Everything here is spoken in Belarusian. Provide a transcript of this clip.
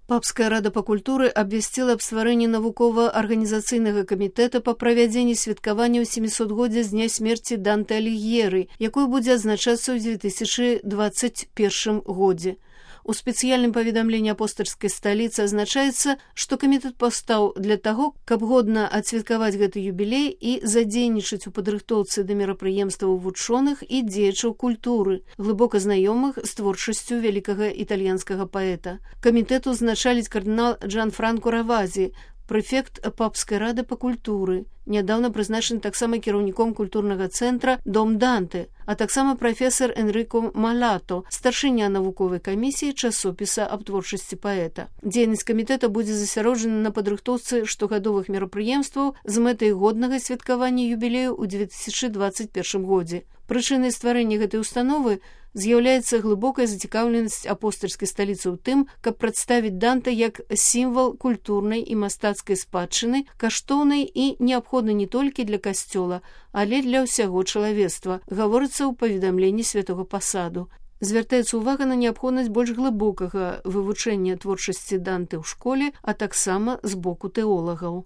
Папская рада па культуры абвясціла аб стварэнні навукова-арганізацыйнага камітэта па правядзенні святкавання ў 700годдзя з дня смерці Данте Аліг'еры, якое будзе адзначацца ў 2021 годзе. У спецыяльным паведамленні апостальскай сталіцы азначаецца, што камітэт паўстаў для таго, каб годна адсвяткаваць гэты юбілей і задзейнічаць у падрыхтоўцы да мерапрыемстваў вучоных і дзеячаў культуры, глыбока знаёмых з творчасцю вялікага італьянскага паэта. Камітэт узначаліць кардынал Джанфранко Равазі, прэфект Папскай рады па культуры, нядаўна прызначаны таксама кіраўніком культурнага цэнтра «Дом Данте», а таксама прафесар Энрыко Малато, старшыня навуковай камісіі часопіса аб творчасці паэта. Дзейнасць камітэта будзе засяроджана на падрыхтоўцы штогадовых мерапрыемстваў з мэтай годнага святкавання юбілею ў 2021 годзе. Прычынай стварэння гэтай установы з'яўляецца глыбокая зацікаўленасць апостальскай сталіцы ў тым, каб прадставіць Данте як сімвал культурнай і мастацкай спадчыны, каштоўнай і неабходнай не толькі для касцёла, але для ўсяго чалавецтва, гаворыцца ў паведамленні святога пасаду. Звяртаецца ўвага на неабходнасць больш глыбокага вывучэння творчасці Данте ў школе, а таксама з боку тэолагаў.